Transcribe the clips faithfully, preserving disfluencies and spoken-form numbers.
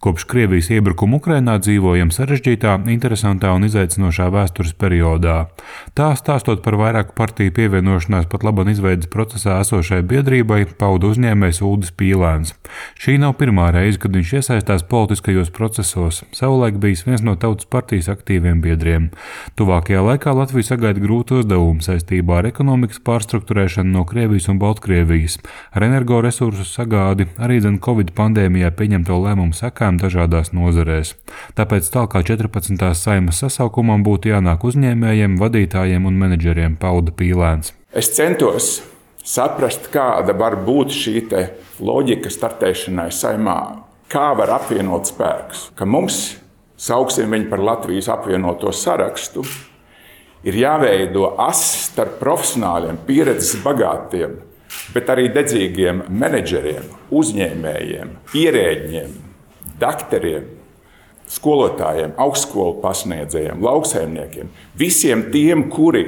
Kopš Krievijas iebrukuma Ukrainā dzīvojam sarežģītā, interesantā un izaicinošā vēstures periodā. Tā, stāstot par vairāku partiju pievienošanās pat laban izveides procesā esošai biedrībai, pauda uzņēmējs Uldis Pīlēns. Šī nav pirmā reize, kad viņš iesaistās politiskajos procesos. Savulaik bijis viens no Tautas partijas aktīviem biedriem. Tuvākajā laikā Latvija sagaida grūtu uzdevumu saistībā ar ekonomikas pārstrukturēšanu no Krievijas un Baltkrievijas, ar energoresursu sagādi, arī dzen Covid pandēmijā pieņemto lēmumu sekām dažādās nozarēs. Tāpēc tālāk kā četrpadsmitās Saeimas sasaukumam būtu jānāk uzņēmējiem, vadītājiem un menedžeriem, pauda Pīlēns. Es centos saprast, kāda var būt šī te loģika startēšanai Saeimā, kā var apvienot spēkus, ka mums, sauksim viņu par Latvijas apvienoto sarakstu, ir jāveido ass starp profesionāļiem, pieredzes bagātiem, bet arī dedzīgiem menedžeriem, uzņēmējiem, ierēģiem, dakteriem, skolotājiem, augstskolu pasniedzējiem, lauksaimniekiem, visiem tiem, kuri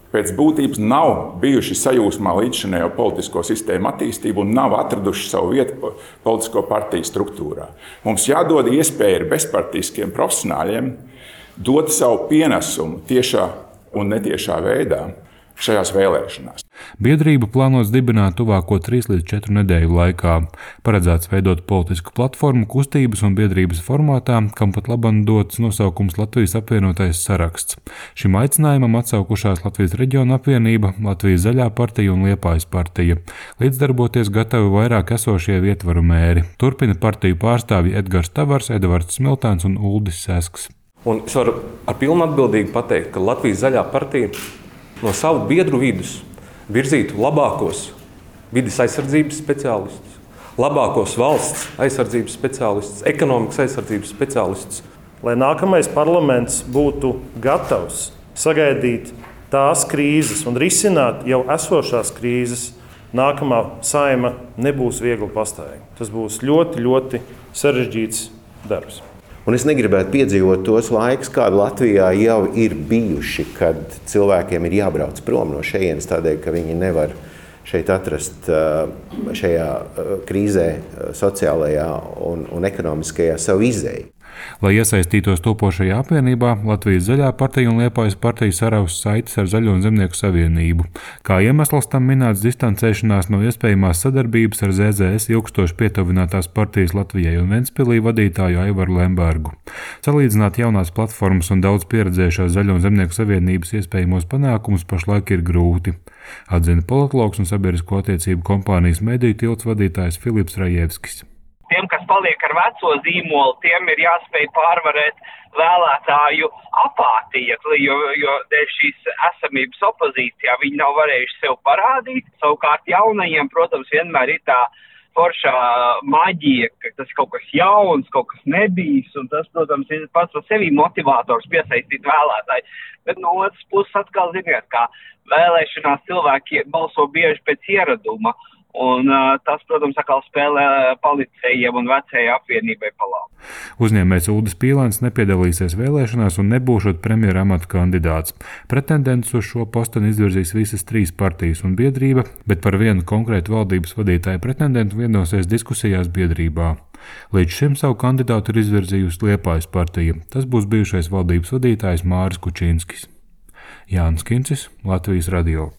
pēc būtības nav bijuši sajūsmā līdzšinējo politisko sistēmu attīstību un nav atraduši savu vietu politisko partiju struktūrā. Mums jādod iespēja ar bezpartiskiem profesionāļiem dot savu pienesumu tiešā un netiešā veidā šajās vēlēšanās. Biedrību plānots dibināt tuvāko trīs līdz četru nedēļu laikā. Paredzēts veidot politisku platformu kustības un biedrības formātā, kam pat labam dots nosaukums Latvijas apvienotais saraksts. Šim aicinājumam atsaukušās Latvijas reģiona apvienība, Latvijas zaļā partija un Liepājas partija. Līdzdarboties gatavi vairāk esošie ietvaru mēri. Turpina partiju pārstāvji Edgars Tavars, Edvards Smiltāns un Uldis Sesks. Un es varu ar pilnu atbildīgi pateikt, ka Latvijas zaļā partija no savu biedru vidus virzītu labākos vides aizsardzības speciālistus, labākos valsts aizsardzības speciālistus, ekonomikas aizsardzības speciālistus. Lai nākamais parlaments būtu gatavs sagaidīt tās krīzes un risināt jau esošās krīzes, nākamā Saeima nebūs viegli pastāvīga. Tas būs ļoti, ļoti sarežģīts darbs. Un es negribētu piedzīvot tos laikus, kādi Latvijā jau ir bijuši, kad cilvēkiem ir jābrauc prom no šejienes tādēļ, ka viņi nevar šeit atrast šajā krīzē, sociālajā un, un ekonomiskajā savu izēju. Lai iesaistītos topošajā apvienībā, Latvijas zaļā partija un Liepājas partija saraus saites ar Zaļo un Zemnieku savienību. Kā iemesls tam minēts distancēšanās no iespējamās sadarbības ar Z Z S ilgstoši pietuvinātās partijas Latvijai un Ventspilī vadītāju Aivaru Lembergu. Salīdzināt jaunās platformas un daudz pieredzējušās Zaļo un Zemnieku savienības iespējamos panākumus pašlaik ir grūti, atzina politologs un sabiedrisko attiecību kompānijas Mediju tilts vadītājs Filips Rajevskis. Tiem, kas paliek ar veco zīmolu, tiem ir jāspēj pārvarēt vēlētāju apātija, jo, jo dēļ šīs esamības opozīcijā viņi nav varējuši sev parādīt. Savukārt jaunajiem, protams, vienmēr ir tā foršā maģija, ka tas kaut kas jauns, kaut kas nebijis, un tas, protams, ir pats par sevi motivators piesaistīt vēlētāju. Bet no otras puses atkal, ziniet, kā vēlēšanās cilvēki balso bieži pēc ieraduma. Un uh, tas, protams, atkal spēlē policējiem un vecajai apvienībai pa labu. Uzņēmējs Uldis Pīlēns nepiedalīsies vēlēšanās un nebūšot premjera amata kandidāts. Pretendents uz šo posteni izvirzīs visas trīs partijas un biedrība, bet par vienu konkrētu valdības vadītāju pretendentu vienosies diskusijās biedrībā. Līdz šim savu kandidātu ir izvirzījusi Liepājas partija. Tas būs bijušais valdības vadītājs Māris Kučinskis. Jānis Kincis, Latvijas radio.